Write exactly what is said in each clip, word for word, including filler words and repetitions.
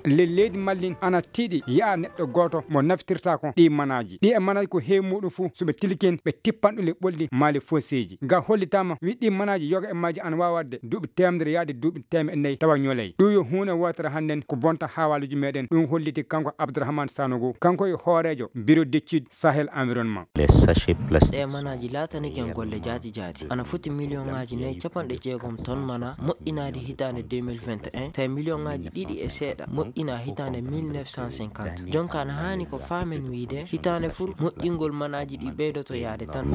ley leydi Mallin ana tiiɗi yaha neɗɗo gooto mo naftirtaako ɗii manaaji. Ɗii e manaaji ko heewi muuɗum fuu, so ɓe tilkii, ɓe tippan ɗum ley ɓolli maa ley fonseeji. Nga hollitaama, wi ɗii manaaji yoga e maaji ana waawi waɗde duuɓi teemedere yaade duuɓi teemeɗɗe nayi tawa ñolay. Ɗum yo huunde wootere hannden ko bonta haawaaluuji meeɗen. Ɗum holliti kanko Abdourahmane Sanogo, kanko e hooreejo Bureau d'études Sahel Environnement. Les sachets plastiques. Ɗee manaaji laatanike en golle jaati jaati. Ana foti miliyoŋaaji nayi capanɗe jeegom ton mana moƴƴinaade hitaande deux mille vingt et un, tawi miliyoŋaaji ɗiɗi e seeɗa moƴƴinaa hitaande mille neuf cent cinquante. Jonka ana haani ko faamen wiyde hitaande fuu moƴƴingol manaaji ɗi ɓeydoto yaade tan.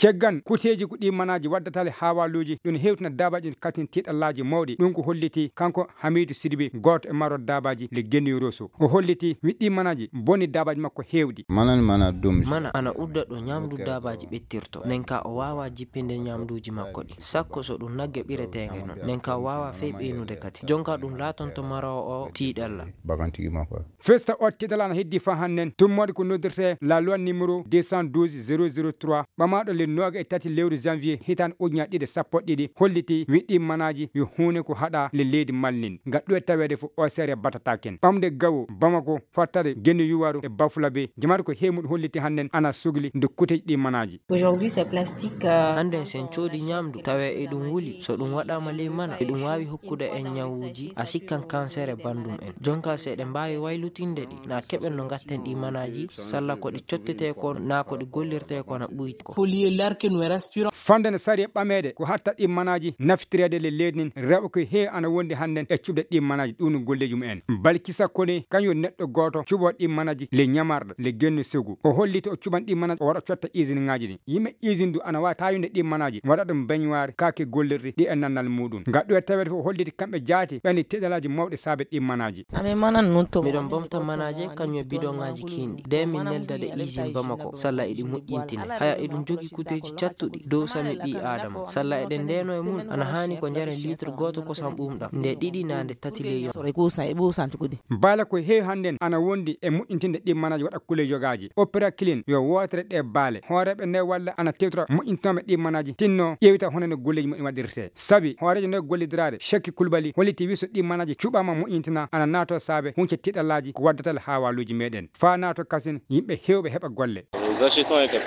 Caggal kuuteeji ko ɗii manaaji waddata le haawaaluuji, ɗum hewtina daabaaji ɗin katin tiiɗallaaji mawɗi. Ɗum ko holliti kanko Hamiidu Sidibe, gooto e marooɓe daabaaji le Genni Roso. O holliti wi ɗii manaaji bonni daabaaji makko heewɗi. Mana mana ɗum. Mana ana udda ɗo ñamdu daabaaji ɓettirto. Nden ka o waawaa jippinde ñamduuji makko ɗi. Sakko so ɗum nagge ɓireteenge non. Nden ka o waawaa fey ɓeynude kadi. Jonka ɗum laatonto maroowo o tiiɗalla. Bagan tigi makko. Festa o tiiɗalla ana heddii faa hannden. Tummoode ko noddirtee la loi numéro deux cent douze zéro zéro trois, ɓamaaɗo le nooga e tati lewru janvier hitaande ujunaaji ɗiɗi e sappo e ɗiɗi, holliti wi ɗii manaaji yo huunde ko haɗaa le leydi Mallin. Nga ɗum e taweede fof o seere batataken. Ɓamde gawo Bamako, fattade Genni Yuwaru e Bafulabe, jamaatu ko heewi muɗum holliti hannden ana sugli nde kuuteeji ɗii manaaji. Aujourd'hui, c'est plastique, euh, Hannden sen coodi ñamdu, tawee eɗum wuli, so ɗum waɗaama ley mana, eɗum waawi hokkude en ñawuuji, a sikkan kanseer e banndum en. Jonka so eɗen mbaawi waylutinde ɗi, na keɓen no ngatten ɗii manaaji, salla ko ɗi cottetee ko, na ko ɗi gollirtee ko na ɓuyta ko. Faut lier l'air que nous respirons. Fannde no sariya ɓameede ko hatta ɗii manaaji naftireede le leydi ndin, rewɓe ko heewi ana wondi hannden e cuɓde ɗii manaaji ɗum no golleeji mumen. Balkisa Kone, kañum woni neɗɗo gooto cuɓoowo ɗii manaaji le ñamarɗo, le Genno Segu. O holliti o cuɓan ɗii manaaji, o wara o cotta usine ŋaaji ɗin. Yimɓe usine du ana waawi taayude ɗii manaaji, waɗa ɗum beñuwaar, kaake gollirɗi, ɗi e nannal muuɗum. Nga ɗum e taweede fof o holliti kamɓe jaati, ɓe anndi tiiɗalaaji mawɗi saabe ɗii manaaji. Amin manan nun to. Miɗon bomta manaaje kañum e bidoŋaaji kiinɗi. Nde min neldade usine Bamako, salla eɗi moƴƴintine. Haya eɗum jogii kuteeji cattuɗi dow sami ɓii Aadama. Salla eɗen ndeenoo e mun, ana haani ko njaren litre gooto kosam ɓuuɓɗam nde ɗiɗi naa nde tati ley yonta. Sore kuusan e ɓuusanti kudi. Baala ko heewi hannden ana wondi e moƴƴintinde ɗii manaaji waɗa kulee yogaaji. Opéra Clean yo wootere ɗee baale. Hooreeɓe nayi walla ana tewtora moƴƴintinooɓe ɗii manaaji tinno ƴeewita hono no golleeji mumen waɗirtee. Sabi hooreejo nayi gollidiraare Cekki Kulbali holliti wi so ɗii manaaji cuɓaama moƴƴintinaa ana naatoo saabe hunce tiiɗalaaji ko waddata le haawaaluuji meeɗen. Faa naatoo kasin yimɓe heewɓe heɓa golle.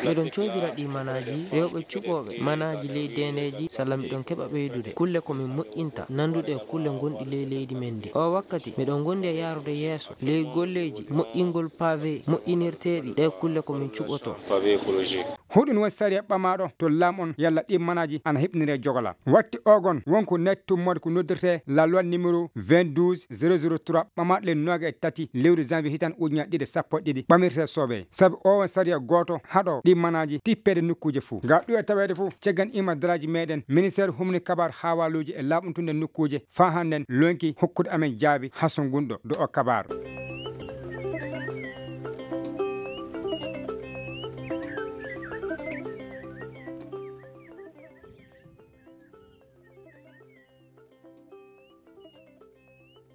Miɗon coodira ɗii manaaji rewɓe cuɓooɓe manaaji ley deendeeji salla miɗon keɓa ɓeydude kulle ko min moƴƴinta nannduɗe e kulle ngonɗi ley leydi men ndi. Oo wakkati miɗon ngondi e yaarude yeeso ley golleeji moƴƴingol paave moƴƴinirteeɗi ɗee kulle ko min cuɓotoo. Huɗun woni sariya ɓamaaɗo to laamu on yalla ɗii manaaji ana heɓniree jogola. Watti ogon won ko natti tummoode ko noddirtee la loi numéro vingt-douze zéro zéro trois ɓamaaɗo le nooga e tati lewru janvier hitaande ujunaaji ɗiɗi e sappo e ɗiɗi ɓamirtee soobee. Sabi oo won sariya gooto haɗoo ɗii manaaji tippeede nokkuuje fuu. Nga ɗum e taweede fuu ceggan imadaraaji meeɗen ministeer humni kabaar haawaaluuji e laaɓuntunde nokkuuje faa hannden lonki hokkude amen jaabi hasungunɗo do o kabaar.